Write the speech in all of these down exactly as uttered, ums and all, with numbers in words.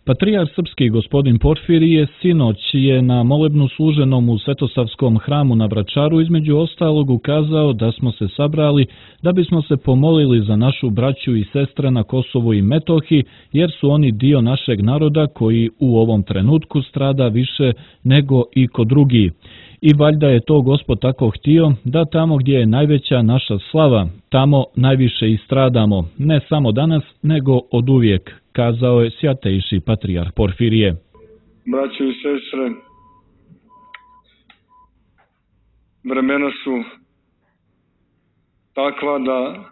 Patrijarh srpski gospodin Porfirije sinoć je na molebnu služenom u Svetosavskom hramu na Vračaru između ostalog ukazao da smo se sabrali da bismo se pomolili za našu braću i sestre na Kosovu i Metohiji, jer su oni dio našeg naroda koji u ovom trenutku strada više nego i ko drugi. I valjda je to Gospod tako htio da tamo gdje je najveća naša slava, tamo najviše i stradamo, ne samo danas, nego oduvijek, kazao je Svjatejši Patrijarh Porfirije. Braćo i sestre, vremena su takva da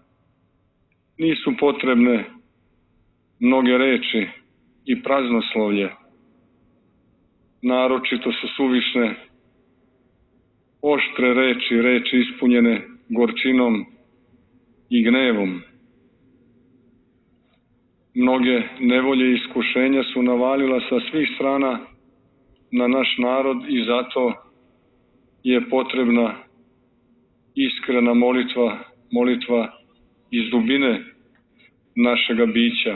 nisu potrebne mnoge reči i praznoslovlje. Naročito su suvišne oštre reči, reči ispunjene gorčinom i gnevom. Mnoge nevolje i iskušenja su navalila sa svih strana na naš narod i zato je potrebna iskrena molitva, molitva iz dubine našega bića.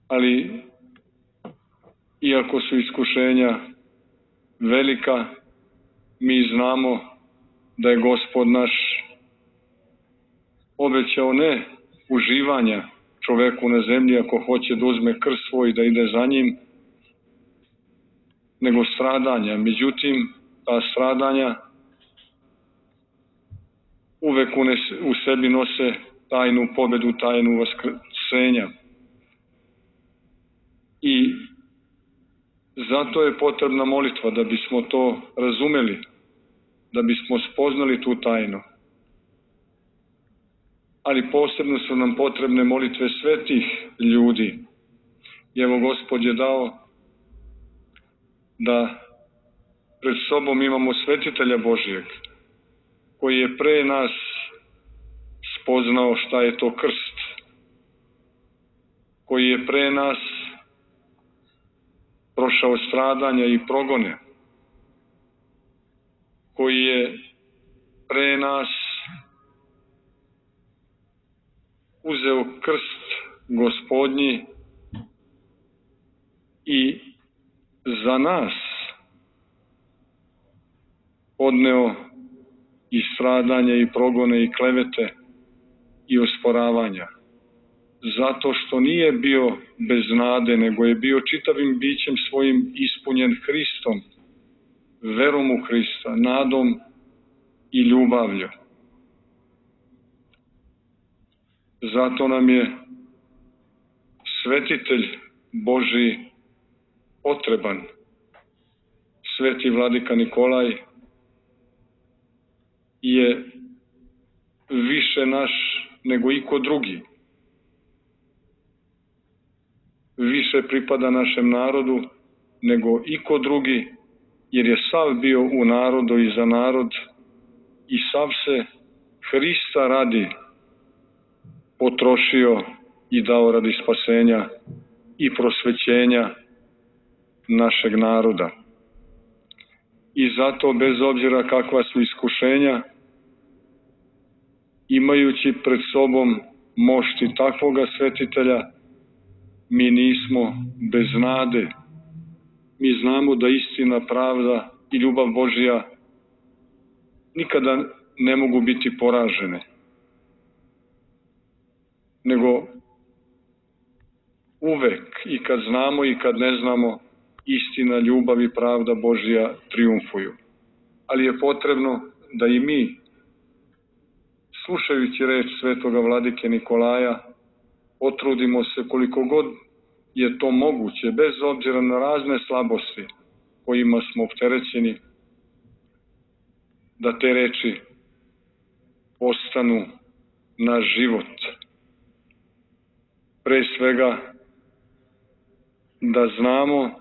Ali, iako su iskušenja velika, mi znamo da je Gospod naš obećao ne uživanja čoveku na zemlji ako hoće da uzme krst svoj i da ide za njim, nego stradanja. Međutim, ta stradanja uvek u sebi nose tajnu pobedu, tajnu vaskrsenja. I zato je potrebna molitva da bismo to razumeli, da bismo spoznali tu tajnu. Ali posebno su nam potrebne molitve svetih ljudi. I evo Gospod je dao da pred sobom imamo svetitelja Božijeg, koji je pre nas spoznao šta je to krst, koji je pre nas prošao stradanja i progone, koji je pre nas uzeo krst Gospodnji i za nas podneo i stradanja i progone i klevete i osporavanja. Zato što nije bio bez nade, nego je bio čitavim bićem svojim ispunjen Hristom, verom u Hrista, nadom i ljubavlju. Zato nam je svetitelj Božji potreban. Sveti vladika Nikolaj je više naš nego iko drugi. Više pripada našem narodu nego iko drugi, jer je sav bio u narodu i za narod i sav se Hrista radi potrošio i dao radi spasenja i prosvećenja našeg naroda. I zato, bez obzira kakva su iskušenja, imajući pred sobom mošti takvoga svetitelja, mi nismo bez nade. Mi znamo da istina, pravda i ljubav Božja nikada ne mogu biti poražene, nego uvek, i kad znamo i kad ne znamo, istina, ljubav i pravda Božja triumfuju. Ali je potrebno da i mi, slušajući reč svetoga vladike Nikolaja, potrudimo se koliko god je to moguće, bez obzira na razne slabosti kojima smo opterećeni, da te reči postanu naš život. Pre svega, da znamo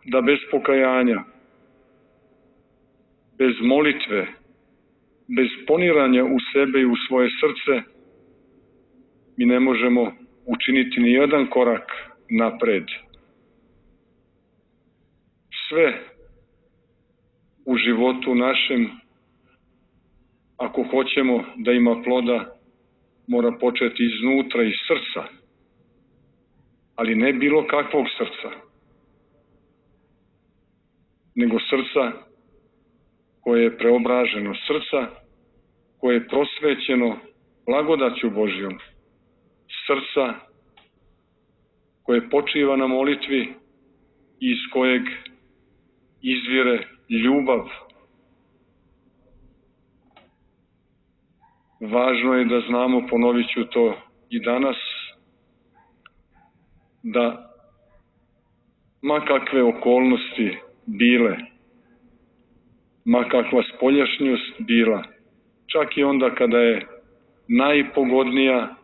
da bez pokajanja, bez molitve, bez poniranja u sebe i u svoje srce, mi ne možemo učiniti ni jedan korak napred. Sve u životu našem, ako hoćemo da ima ploda, mora početi iznutra, iz srca, ali ne bilo kakvog srca, nego srca koje je preobraženo, srca koje je prosvećeno blagodaću Božjom, srca koje počiva na molitvi i iz kojeg izvire ljubav. Važno je da znamo, ponovit ću to i danas, da ma kakve okolnosti bile, ma kakva spoljašnjost bila, čak i onda kada je najpogodnija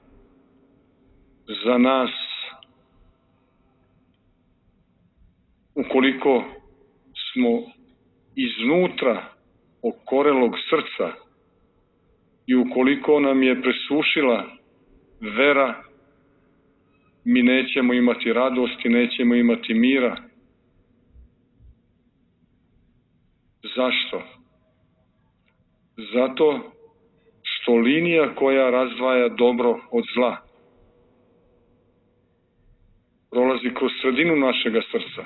za nas, ukoliko smo iznutra okorelog srca i ukoliko nam je presušila vera, mi nećemo imati radosti, nećemo imati mira. Zašto? Zato što linija koja razdvaja dobro od zla prolazi kroz sredinu našega srca.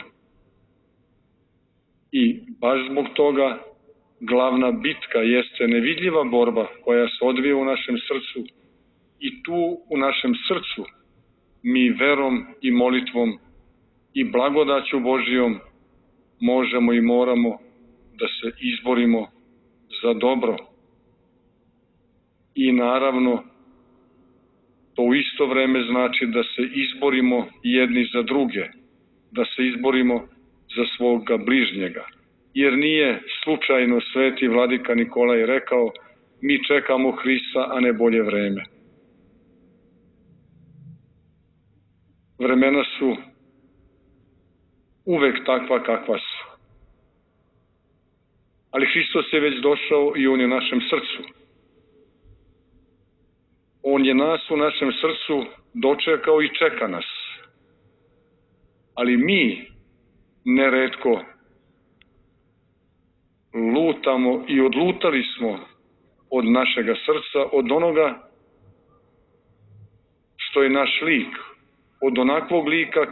I baš zbog toga glavna bitka jeste nevidljiva borba koja se odvija u našem srcu i tu u našem srcu mi verom i molitvom i blagodaću Božijom možemo i moramo da se izborimo za dobro. I naravno, to u isto vreme znači da se izborimo jedni za druge, da se izborimo za svoga bližnjega. Jer nije slučajno sveti vladika Nikolaj rekao: mi čekamo Hrista, a ne bolje vreme. Vremena su uvek takva kakva su. Ali Hristos je već došao i On je u našem srcu. On je nas u našem srcu dočekao i čeka nas. Ali mi neretko lutamo i odlutali smo od našega srca, od onoga što je naš lik, od onakvog lika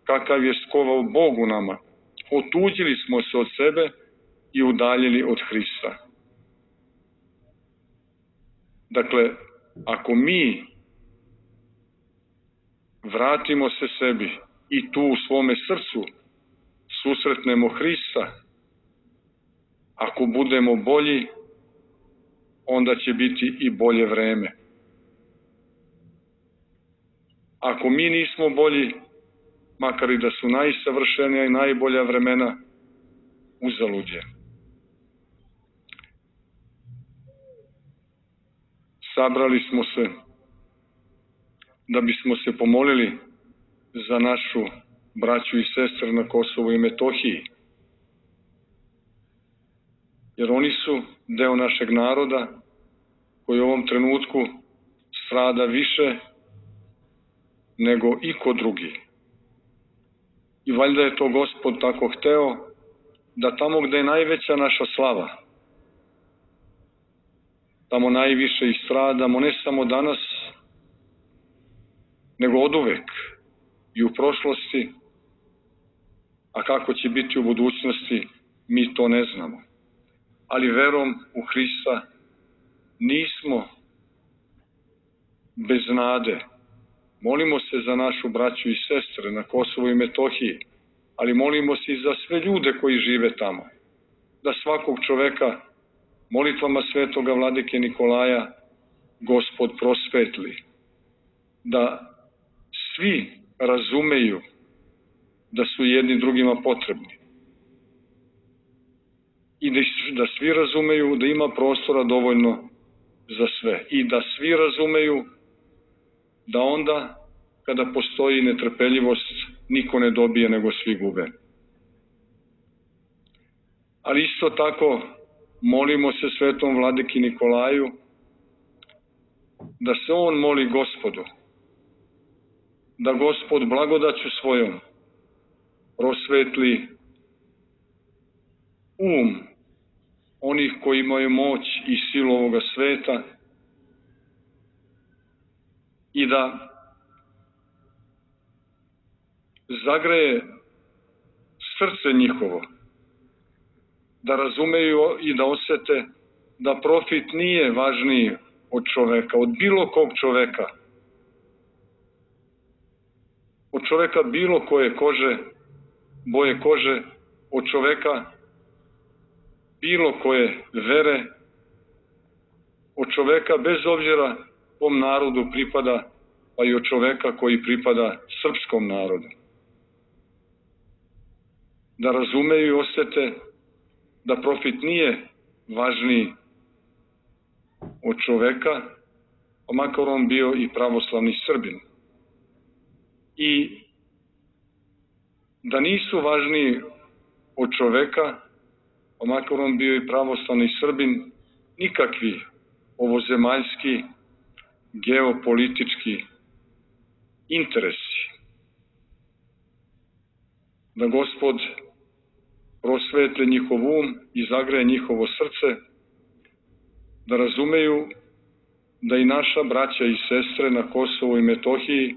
kakav je skovao Bog u nama. Otuđili smo se od sebe i udaljili od Hrista. Dakle, ako mi vratimo se sebi i tu u svome srcu susretnemo Hrista, ako budemo bolji, onda će biti i bolje vreme. Ako mi nismo bolji, makar i da su najsavršenija i najbolja vremena, uzalud je. Sabrali smo se da bismo se pomolili za našu braću i sestre na Kosovu i Metohiji, jer oni su deo našeg naroda koji u ovom trenutku strada više nego iko drugi. I valjda je to Gospod tako hteo da tamo gde je najveća naša slava, tamo najviše i stradamo, ne samo danas, nego oduvek i u prošlosti, a kako će biti u budućnosti, mi to ne znamo. Ali verom u Hrista nismo bez nade. Molimo se za našu braću i sestre na Kosovu i Metohiji, ali molimo se i za sve ljude koji žive tamo. Da svakog čoveka molitvama svetoga vladike Nikolaja Gospod prosvetli. Da svi razumeju da su jedni drugima potrebni. I da svi razumeju da ima prostora dovoljno za sve. I da svi razumeju da onda, kada postoji netrpeljivost, niko ne dobije, nego svi gube. Ali isto tako, molimo se svetom vladiki Nikolaju da se on moli Gospodu, da Gospod blagodaću svojom prosvetli um onih koji imaju moć i silu ovoga sveta i da zagreje srce njihovo, da razumeju i da osete da profit nije važniji od čoveka, od bilo kog čoveka, od čoveka bilo koje kože, boje kože, od čoveka bilo koje vere, od čoveka bez obzira kom narodu pripada, pa i od čoveka koji pripada srpskom narodu. Da razumeju i osete da profit nije važniji od čoveka, pa makar on bio i pravoslavni Srbin. I da nisu važniji od čoveka, pa makar on bio i pravoslavni Srbin, nikakvi ovozemaljski, geopolitički interesi. Da Gospod prosvetli njihov um i zagreje njihovo srce, da razumeju da i naša braća i sestre na Kosovu i Metohiji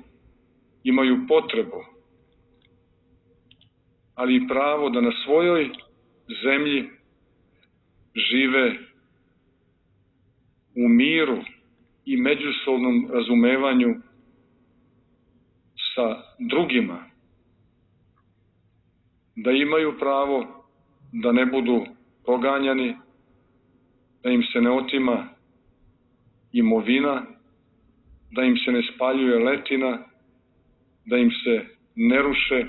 imaju potrebu, ali i pravo da na svojoj zemlji žive u miru i međusobnom razumevanju sa drugima, da imaju pravo da ne budu proganjani, da im se ne otima imovina, da im se ne spaljuje letina, da im se ne ruše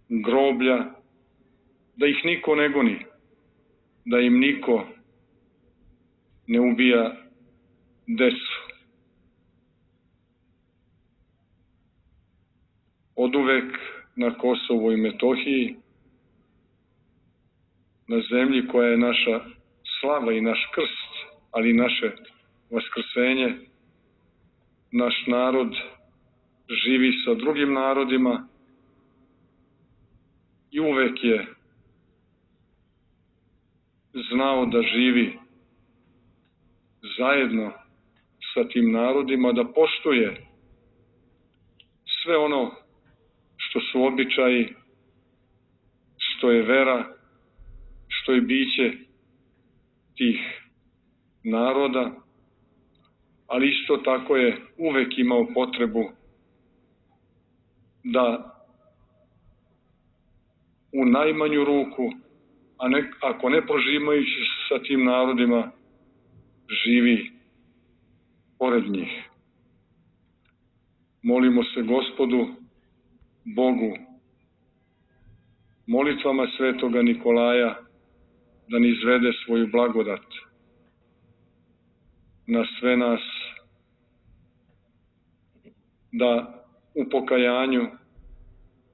groblja, da ih niko ne goni, da im niko ne ubija decu. Oduvek na Kosovu i Metohiji, na zemlji koja je naša slava i naš krst, ali i naše vaskrsenje, naš narod živi sa drugim narodima i uvek je znao da živi zajedno sa tim narodima, da poštuje sve ono što su običaji, što je vera, što je biće tih naroda, ali isto tako je uvek imao potrebu da u najmanju ruku, a ne, ako ne prožimajući sa tim narodima, živi pored njih. Molimo se Gospodu, Bogu, molitvama svetoga Nikolaja, da ni izvede svoju blagodat na sve nas, da u pokajanju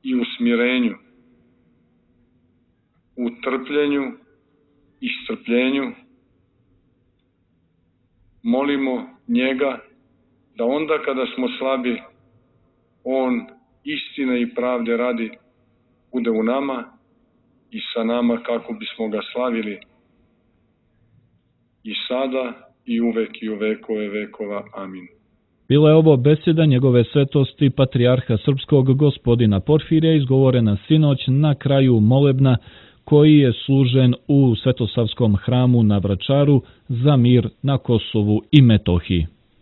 i u smirenju, u trpljenju i strpljenju molimo njega da onda kada smo slabi, on istine i pravde radi bude u nama i sa nama kako bismo ga slavili i sada i uvek i u vekove vekova. Amin. Bila je ovo beseda njegove svetosti patrijarha srpskog gospodina Porfirija izgovorena sinoć na kraju molebna koji je služen u Svetosavskom hramu na Vračaru za mir na Kosovu i Metohiji.